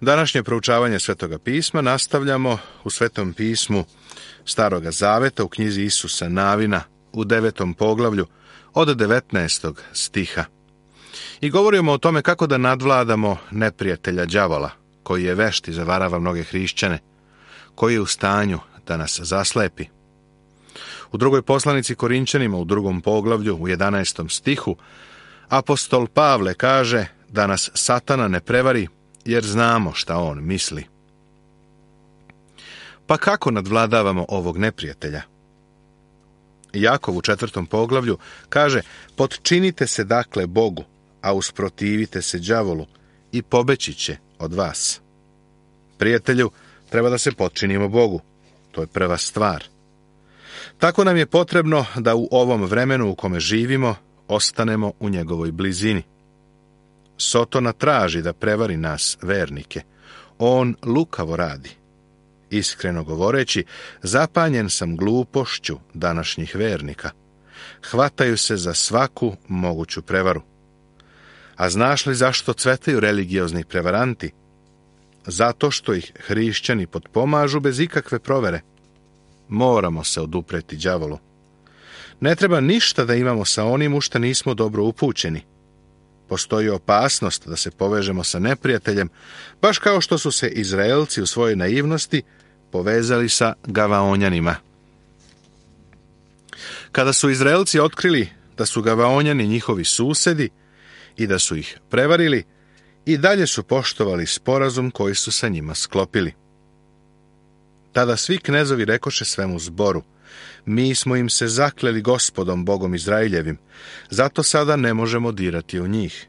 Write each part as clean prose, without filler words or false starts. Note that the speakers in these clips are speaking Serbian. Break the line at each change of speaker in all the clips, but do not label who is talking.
Današnje proučavanje Svetoga pisma nastavljamo u Svetom pismu Staroga zaveta u knjizi Isusa Navina u 9. poglavlju od 19. stiha. I govorimo o tome kako da nadvladamo neprijatelja đavola, koji je vešt i zavarava mnoge hrišćane, koji je u stanju da nas zaslepi. U drugoj poslanici Korinćanima u 2. poglavlju u 11. stihu apostol Pavle kaže da nas Satana ne prevari, jer znamo šta on misli. Pa kako nadvladavamo ovog neprijatelja? Jakov u 4. poglavlju kaže: potčinite se dakle Bogu, a usprotivite se đavolu i pobeći će od vas. Prijatelju, treba da se potčinimo Bogu. To je prva stvar. Tako nam je potrebno da u ovom vremenu u kome živimo ostanemo u njegovoj blizini. Sotona traži da prevari nas, vernike. On lukavo radi. Iskreno govoreći, zapanjen sam glupošću današnjih vernika. Hvataju se za svaku moguću prevaru. A znaš li zašto cvetaju religiozni prevaranti? Zato što ih hrišćani potpomažu bez ikakve provere. Moramo se odupreti đavolu. Ne treba ništa da imamo sa onim u što nismo dobro upućeni. Postoji opasnost da se povežemo sa neprijateljem, baš kao što su se Izraelci u svojoj naivnosti povezali sa Gavaonjanima. Kada su Izraelci otkrili da su Gavaonjani njihovi susedi i da su ih prevarili, i dalje su poštovali sporazum koji su sa njima sklopili. Tada svi knezovi rekoše svemu zboru: mi smo im se zakleli Gospodom Bogom Izraeljevim, zato sada ne možemo dirati u njih.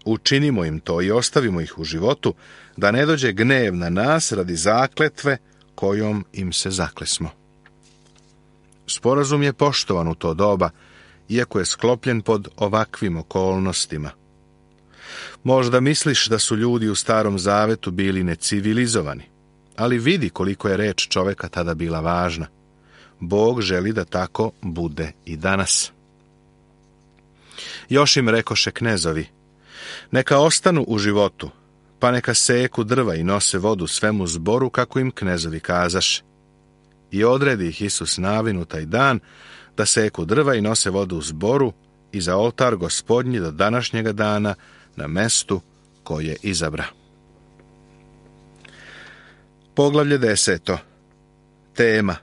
Učinimo im to i ostavimo ih u životu, da ne dođe gnev na nas radi zakletve kojom im se zaklesmo. Sporazum je poštovan u to doba, iako je sklopljen pod ovakvim okolnostima. Možda misliš da su ljudi u Starom zavetu bili necivilizovani, ali vidi koliko je reč čoveka tada bila važna. Bog želi da tako bude i danas. Još im rekoše knezovi: neka ostanu u životu, pa neka seku drva i nose vodu svemu zboru kako im knezovi kazaše. I odredi ih Isus Navin u taj dan da seku drva i nose vodu u zboru i za oltar Gospodnji do današnjega dana na mestu koje izabra. Poglavlje 10. Tema: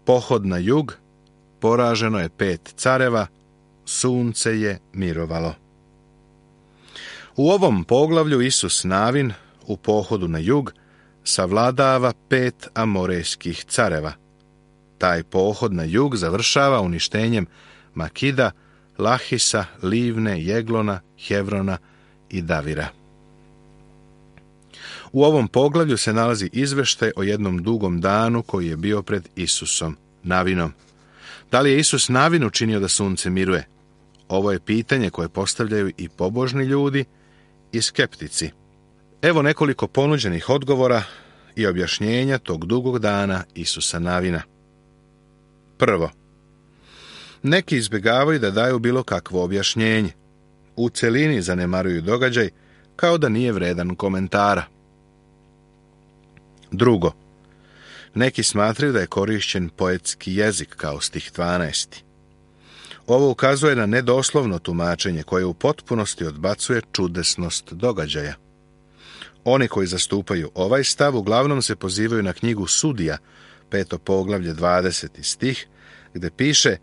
pohod na jug, poraženo je 5 careva, sunce je mirovalo. U ovom poglavlju Isus Navin u pohodu na jug savladava 5 amorejskih careva. Taj pohod na jug završava uništenjem Makida, Lahisa, Livne, Jeglona, Hevrona i Davira. U ovom poglavlju se nalazi izveštaj o jednom dugom danu koji je bio pred Isusom Navinom. Da li je Isus Navin učinio da sunce miruje? Ovo je pitanje koje postavljaju i pobožni ljudi i skeptici. Evo nekoliko ponuđenih odgovora i objašnjenja tog dugog dana Isusa Navina. Prvo, neki izbjegavaju da daju bilo kakvo objašnjenje. U celini zanemaruju događaj kao da nije vredan komentara. Drugo, neki smatraju da je korišćen poetski jezik kao stih 12. Ovo ukazuje na nedoslovno tumačenje koje u potpunosti odbacuje čudesnost događaja. Oni koji zastupaju ovaj stav uglavnom se pozivaju na knjigu Sudija, 5. poglavlje 20. stih, gde piše: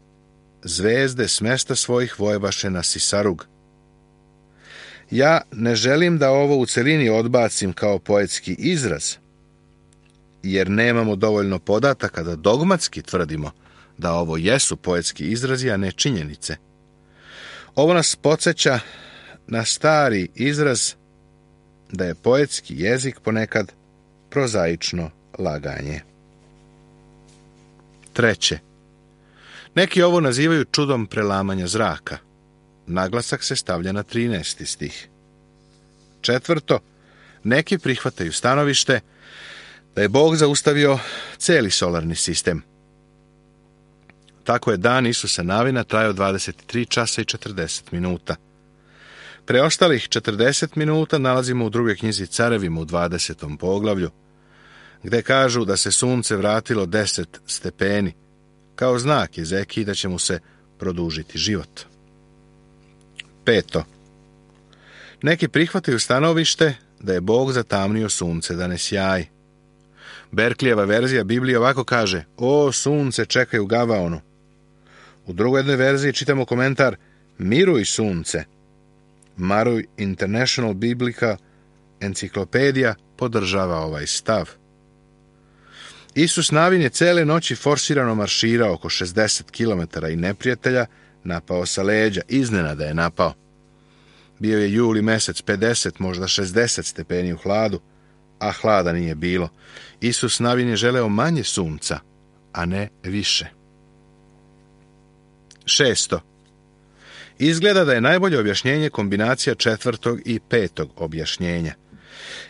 zvezde s mesta svojih vojevaše na Sisarug. Ja ne želim da ovo u celini odbacim kao poetski izraz, jer nemamo dovoljno podataka da dogmatski tvrdimo da ovo jesu poetski izrazi, a ne činjenice. Ovo nas podsjeća na stari izraz da je poetski jezik ponekad prozaično laganje. Treće, neki ovo nazivaju čudom prelamanja zraka. Naglasak se stavlja na 13. stih. Četvrto, neki prihvataju stanovište da je Bog zaustavio cijeli solarni sistem. Tako je dan Isusa Navina trajao 23 časa i 40 minuta. Preostalih 40 minuta nalazimo u drugoj knjizi Carevima u 20. poglavlju, gde kažu da se sunce vratilo 10 stepeni, kao znak Ezekiji da će mu se produžiti život. 5. Neki prihvataju stanovište da je Bog zatamnio sunce da ne sjaji. Berklijeva verzija Biblije ovako kaže: o sunce, čekaj u Gavaonu. U drugoj jednoj verziji čitamo komentar: miruj sunce. Maruj International Biblical enciklopedija podržava ovaj stav. Isus Navin je cele noći forsirano marširao oko 60 km i neprijatelja napao sa leđa. Iznenada je napao. Bio je juli mesec, 50, možda 60 stepeni u hladu, a hlada nije bilo. Isus Navin je želeo manje sunca, a ne više. 6. Izgleda da je najbolje objašnjenje kombinacija 4. i 5. objašnjenja.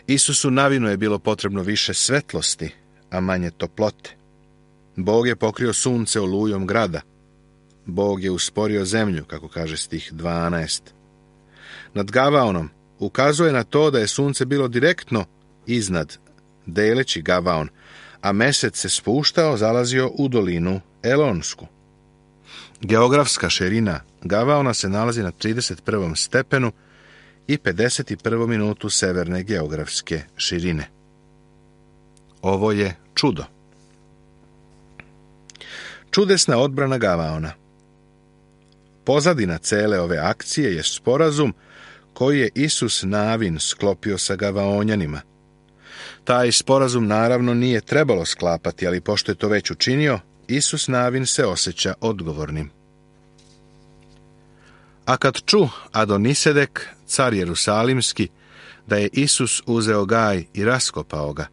Isusu Navinu je bilo potrebno više svetlosti, a manje toplote. Bog je pokrio sunce olujom grada. Bog je usporio zemlju, kako kaže stih 12. Nad Gavaonom ukazuje na to da je sunce bilo direktno iznad, deleći Gavaon, a mesec se spuštao, zalazio u dolinu Elonsku. Geografska širina Gavaona se nalazi na 31. stepenu i 51. minutu severne geografske širine. Ovo je čudo. Čudesna odbrana Gavaona. Pozadina cele ove akcije je sporazum koji je Isus Navin sklopio sa Gavaonjanima. Taj sporazum naravno nije trebalo sklapati, ali pošto je to već učinio, Isus Navin se osjeća odgovornim. A kad ču Adonisedek, car Jerusalimski, da je Isus uzeo Gaj i raskopao ga,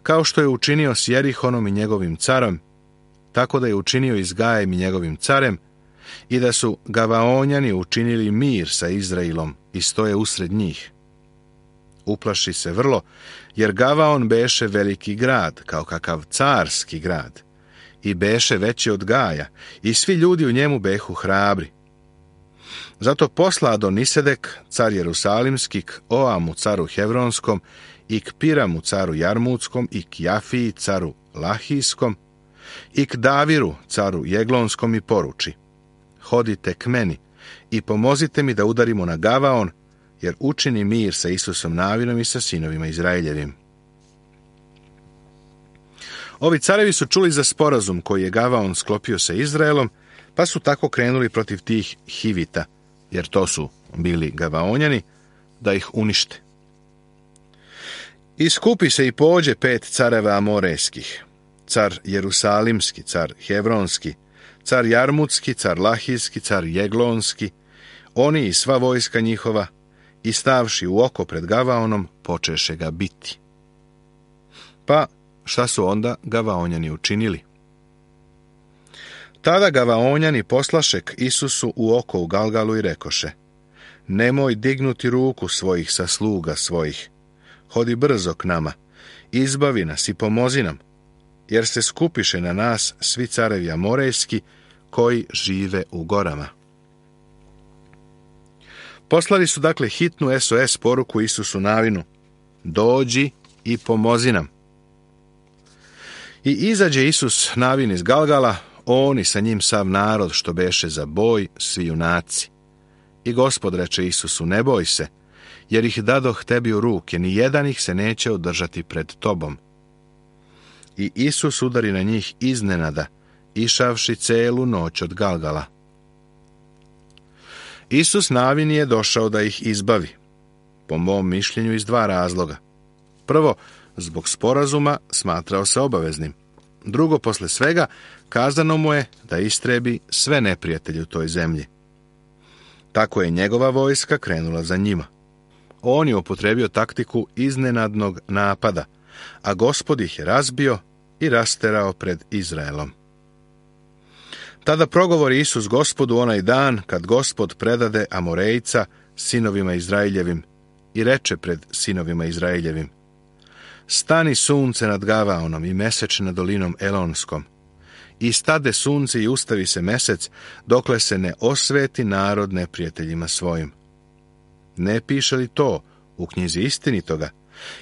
kao što je učinio s Jerihonom i njegovim carom, tako da je učinio i s Gajem i njegovim carem, i da su Gavaonjani učinili mir sa Izraelom i stoje usred njih. Uplaši se vrlo, jer Gavaon beše veliki grad, kao kakav carski grad, i beše veći od Gaja, i svi ljudi u njemu behu hrabri. Zato posla Adonisedek, car Jerusalimski, k Oamu, caru Hevronskom, i k Piramu, caru Jarmutskom, i k Jafiji, caru Lahijskom, i k Daviru, caru Jeglonskom, i poruči: hodite k meni i pomozite mi da udarimo na Gavaon, jer učini mir sa Isusom Navinom i sa sinovima Izraeljevim. Ovi carevi su čuli za sporazum koji je Gavaon sklopio sa Izraelom, pa su tako krenuli protiv tih Hivita, jer to su bili Gavaonjani, da ih unište. Iskupi se i pođe 5 careva amorejskih: car Jerusalimski, car Hevronski, car Jarmutski, car Lahijski, car Jeglonski, oni i sva vojska njihova, i stavši u oko pred Gavaonom, počeše ga biti. Pa, šta su onda Gavaonjani učinili? Tada Gavaonjani poslaše k Isusu u oko u Galgalu i rekoše: nemoj dignuti ruku svojih sa sluga svojih, hodi brzo k nama, izbavi nas i pomozi nam, jer se skupiše na nas svi carevi amorejski koji žive u gorama. Poslali su dakle hitnu SOS poruku Isusu Navinu: dođi i pomozi nam. I izađe Isus Navin iz Galgala, on i sa njim sav narod što beše za boj, svi junaci. I Gospod reče Isusu: ne boj se, jer ih dadoh tebi u ruke, ni jedan ih se neće održati pred tobom. I Isus udari na njih iznenada, išavši celu noć od Galgala. Isus Navin je došao da ih izbavi, po mom mišljenju iz 2 razloga. Prvo, zbog sporazuma smatrao se obaveznim. Drugo, posle svega, kazano mu je da istrebi sve neprijatelje u toj zemlji. Tako je njegova vojska krenula za njima. On je upotrebio taktiku iznenadnog napada, a Gospod ih je razbio i rasterao pred Izraelom. Tada progovori Isus Gospodu onaj dan kad Gospod predade Amorejca sinovima Izraeljevim i reče pred sinovima Izraeljevim: stani sunce nad Gavaonom i mesec nad dolinom Elonskom, i stade sunce i ustavi se mesec, dokle se ne osveti narod neprijateljima svojim. ne piše li to u knjizi istinitoga?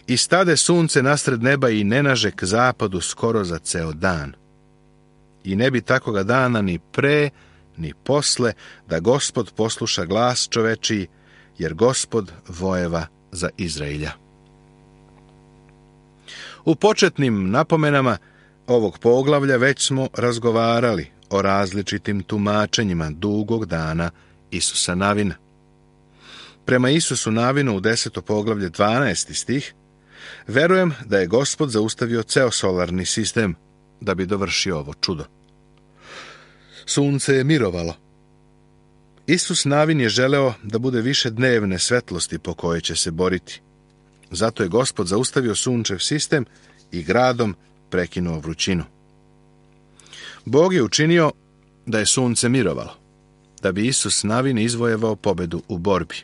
I stade sunce nasred neba i ne naže k zapadu skoro za ceo dan. I ne bi takoga dana ni pre, ni posle, da Gospod posluša glas čovečiji, jer Gospod vojeva za Izrailja. U početnim napomenama ovog poglavlja već smo razgovarali o različitim tumačenjima dugog dana Isusa Navina. Prema Isusu Navinu u 10. poglavlje 12. stih, verujem da je Gospod zaustavio ceo solarni sistem da bi dovršio ovo čudo. Sunce je mirovalo. Isus Navin je želeo da bude više dnevne svetlosti po kojoj će se boriti. Zato je Gospod zaustavio sunčev sistem i gradom prekinuo vrućinu. Bog je učinio da je sunce mirovalo, da bi Isus Navin izvojevao pobedu u borbi.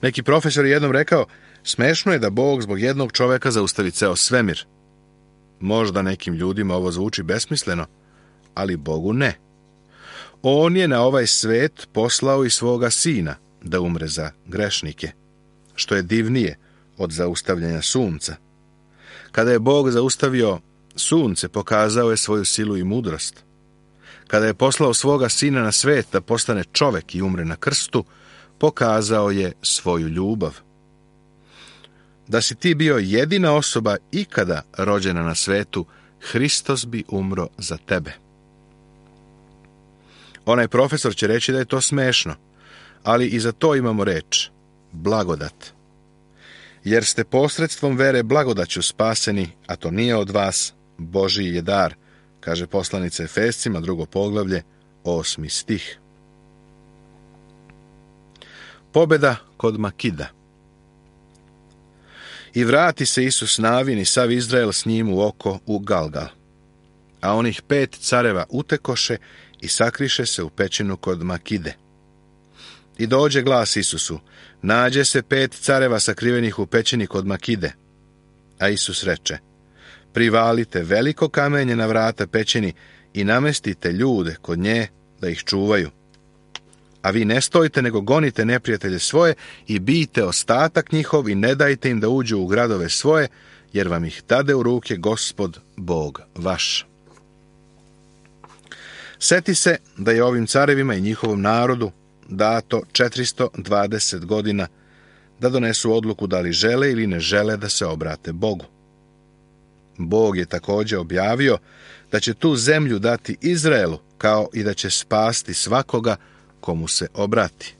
Neki profesor je jednom rekao, smešno je da Bog zbog jednog čoveka zaustavi ceo svemir. Možda nekim ljudima ovo zvuči besmisleno, ali Bogu ne. On je na ovaj svet poslao i svoga sina da umre za grešnike, što je divnije od zaustavljanja sunca. Kada je Bog zaustavio sunce, pokazao je svoju silu i mudrost. Kada je poslao svoga sina na svet da postane čovek i umre na krstu, pokazao je svoju ljubav. Da si ti bio jedina osoba ikada rođena na svetu, Hristos bi umro za tebe. Onaj profesor će reći da je to smešno, ali i za to imamo reč, blagodat. Jer ste posredstvom vere blagodaću spaseni, a to nije od vas, Božji je dar, kaže poslanica Efescima, 2. poglavlje, 8. stih. Pobjeda kod Makida. I vrati se Isus Navin i sav Izrael s njim u oko u Galgal. A onih 5 careva utekoše i sakriše se u pećinu kod Makide. I dođe glas Isusu, nađe se 5 careva sakrivenih u pećini kod Makide. A Isus reče, privalite veliko kamenje na vrata pećini i namestite ljude kod nje da ih čuvaju. A vi ne stojite, nego gonite neprijatelje svoje i bijte ostatak njihov i ne dajte im da uđu u gradove svoje, jer vam ih dade u ruke Gospod, Bog vaš. Seti se da je ovim carevima i njihovom narodu dato 420 godina da donesu odluku da li žele ili ne žele da se obrate Bogu. Bog je također objavio da će tu zemlju dati Izraelu, kao i da će spasti svakoga komu se obrati.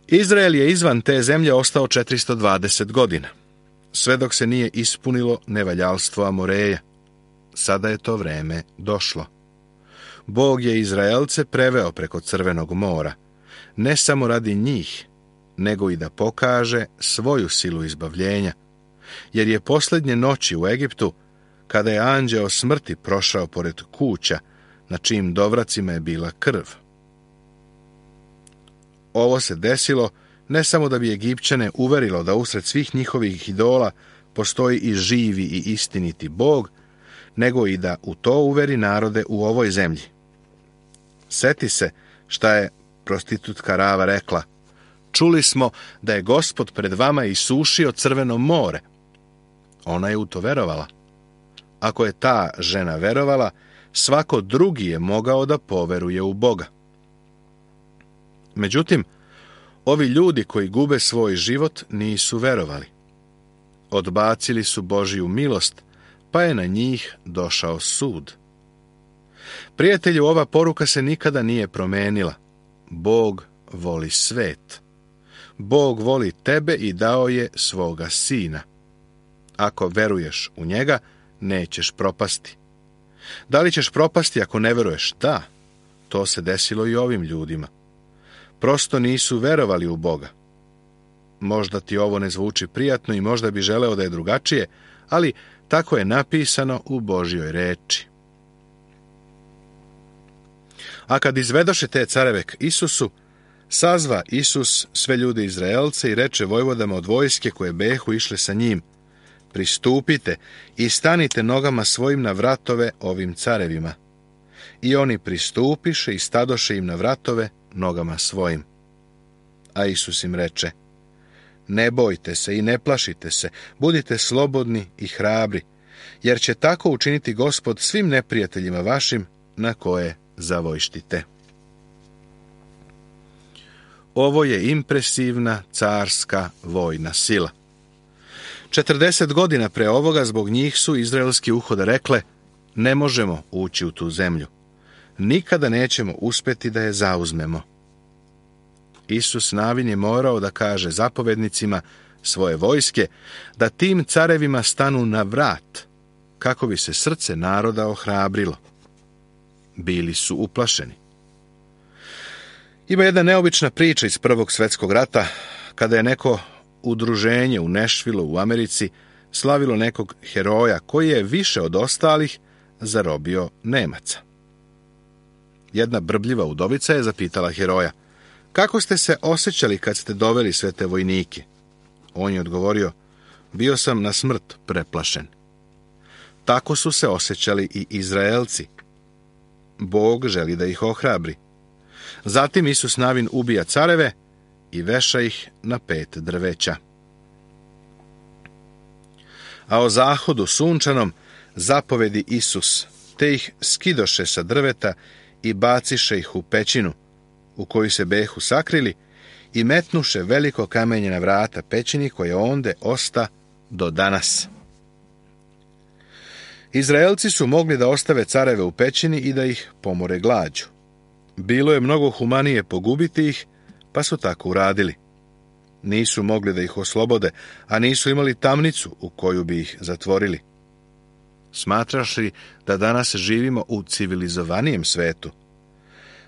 Izrael je izvan te zemlje ostao 420 godina, sve dok se nije ispunilo nevaljalstvo Amoreja. Sada je to vreme došlo. Bog je Izraelce preveo preko Crvenog mora, ne samo radi njih, nego i da pokaže svoju silu izbavljenja, jer je posljednje noći u Egiptu, kada je anđeo smrti prošao pored kuća, na čijim dovracima je bila krv. Ovo se desilo ne samo da bi Egipćane uverilo da usred svih njihovih idola postoji i živi i istiniti Bog, nego i da u to uveri narode u ovoj zemlji. Seti se šta je prostitutka Rava rekla. Čuli smo da je Gospod pred vama isušio Crveno more. Ona je u to verovala. Ako je ta žena verovala, svako drugi je mogao da poveruje u Boga. Međutim, ovi ljudi koji gube svoj život nisu verovali. Odbacili su Božju milost, pa je na njih došao sud. Prijatelju, ova poruka se nikada nije promenila. Bog voli svet. Bog voli tebe i dao je svoga sina. Ako veruješ u njega, nećeš propasti. Da li ćeš propasti ako ne veruješ? Da, to se desilo i ovim ljudima. Prosto nisu verovali u Boga. Možda ti ovo ne zvuči prijatno i možda bi želeo da je drugačije, ali tako je napisano u Božjoj reči. A kad izvedoše te careve k Isusu, sazva Isus sve ljude Izraelce i reče vojvodama od vojske koje behu išle sa njim, pristupite i stanite nogama svojim na vratove ovim carevima. I oni pristupiše i stadoše im na vratove nogama svojim. A Isus im reče: Ne bojte se i ne plašite se, budite slobodni i hrabri, jer će tako učiniti Gospod svim neprijateljima vašim na koje zavojštite. Ovo je impresivna carska vojna sila. 40 godina pre ovoga zbog njih su izraelski uhode rekle: ne možemo ući u tu zemlju. Nikada nećemo uspjeti da je zauzmemo. Isus Navin je morao da kaže zapovednicima svoje vojske da tim carevima stanu na vrat, kako bi se srce naroda ohrabrilo. Bili su uplašeni. Ima jedna neobična priča iz Prvog svjetskog rata, kada je neko udruženje u Nashvilleu u Americi slavilo nekog heroja koji je više od ostalih zarobio Nemaca. Jedna brbljiva udovica je zapitala heroja: kako ste se osjećali kad ste doveli sve te vojnike? On je odgovorio: bio sam na smrt preplašen. Tako su se osjećali i Izraelci. Bog želi da ih ohrabri. Zatim Isus Navin ubija careve i veša ih na 5 drveća. A o zahodu sunčanom zapovedi Isus, te ih skidoše sa drveta i baciše ih u pećinu, u koju se behu sakrili, i metnuše veliko kamenje na vrata pećini, koje onde osta do danas. Izraelci su mogli da ostave careve u pećini i da ih pomore glađu. Bilo je mnogo humanije pogubiti ih, pa su tako uradili. Nisu mogli da ih oslobode, a nisu imali tamnicu u koju bi ih zatvorili. Smatraš li da danas živimo u civilizovanijem svetu?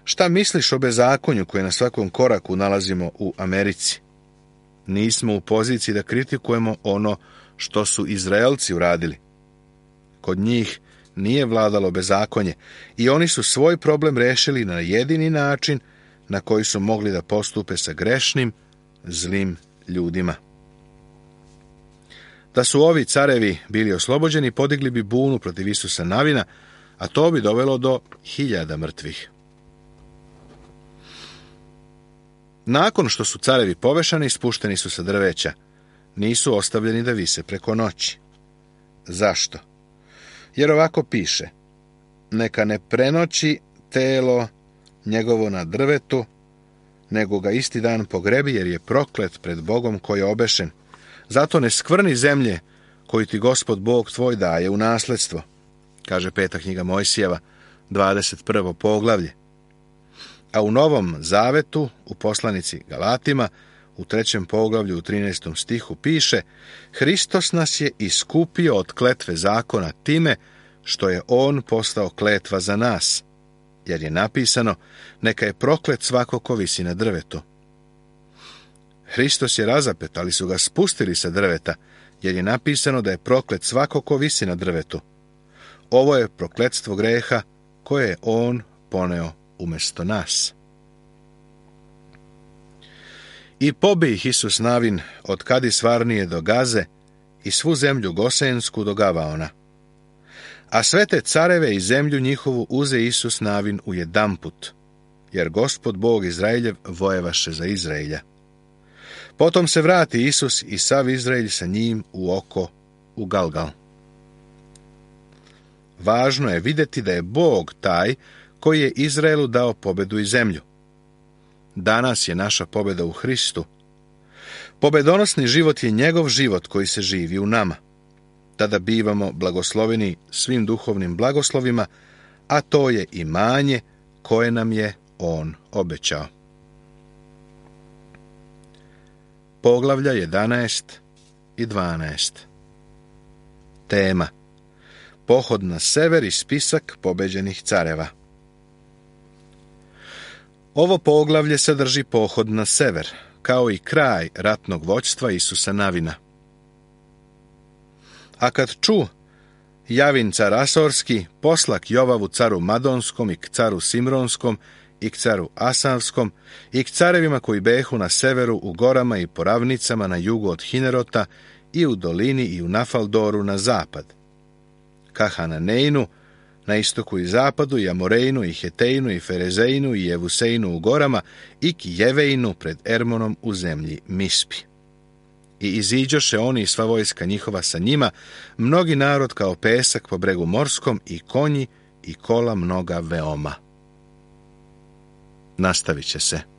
Šta misliš o bezakonju koje na svakom koraku nalazimo u Americi? Nismo u poziciji da kritikujemo ono što su Izraelci uradili. Kod njih nije vladalo bezakonje i oni su svoj problem rešili na jedini način na koji su mogli da postupe sa grešnim, zlim ljudima. Da su ovi carevi bili oslobođeni, podigli bi bunu protiv Isusa Navina, a to bi dovelo do 1000 mrtvih. Nakon što su carevi povešani, spušteni su sa drveća. Nisu ostavljeni da vise preko noći. Zašto? Jer ovako piše: neka ne prenoći telo njegovo na drvetu, nego ga isti dan pogrebi, jer je proklet pred Bogom koji je obešen. Zato ne skvrni zemlje koju ti Gospod Bog tvoj daje u nasledstvo, kaže 5. knjiga Mojsijeva, 21. poglavlje. A u Novom Zavetu, u poslanici Galatima, u 3. poglavlju, u 13. stihu piše: Hristos nas je iskupio od kletve zakona time što je on postao kletva za nas, jer je napisano: neka je proklet svako ko visi na drvetu. Hristos je razapet, ali su ga spustili sa drveta, jer je napisano da je proklet svako ko visi na drvetu. Ovo je prokletstvo greha koje je on poneo umjesto nas. I pobi ih Isus Navin od Kadis Varnije do Gaze i svu zemlju Gosensku do Gavaona. A sve te careve i zemlju njihovu uze Isus Navin u jedanput, jer Gospod Bog Izraeljev vojevaše za Izraelja. Potom se vrati Isus i sav Izraelj sa njim u oko u Galgal. Važno je vidjeti da je Bog taj koji je Izraelu dao pobedu i zemlju. Danas je naša pobjeda u Hristu. Pobedonosni život je njegov život koji se živi u nama. Tada bivamo blagosloveni svim duhovnim blagoslovima, a to je imanje koje nam je on obećao. Poglavlja 11 i 12. Tema: pohod na sever i spisak pobeđenih careva. Ovo poglavlje sadrži pohod na sever, kao i kraj ratnog vođstva Isusa Navina. A kad ču Javin car Asorski poslak Jovavu caru Madonskom i k caru Simronskom i k caru Asavskom i k carevima koji behu na severu u gorama i po ravnicama na jugu od Hinerota i u dolini i u Nafaldoru na zapad, ka Hananeinu, na istoku i zapadu, i Amorejnu, i Hetejnu, i Ferezejnu, i Jevusejnu u gorama, i Kijevejnu pred Ermonom u zemlji Mispi. I iziđoše oni i sva vojska njihova sa njima, mnogi narod kao pesak po bregu morskom, i konji, i kola mnoga veoma. Nastavit će se.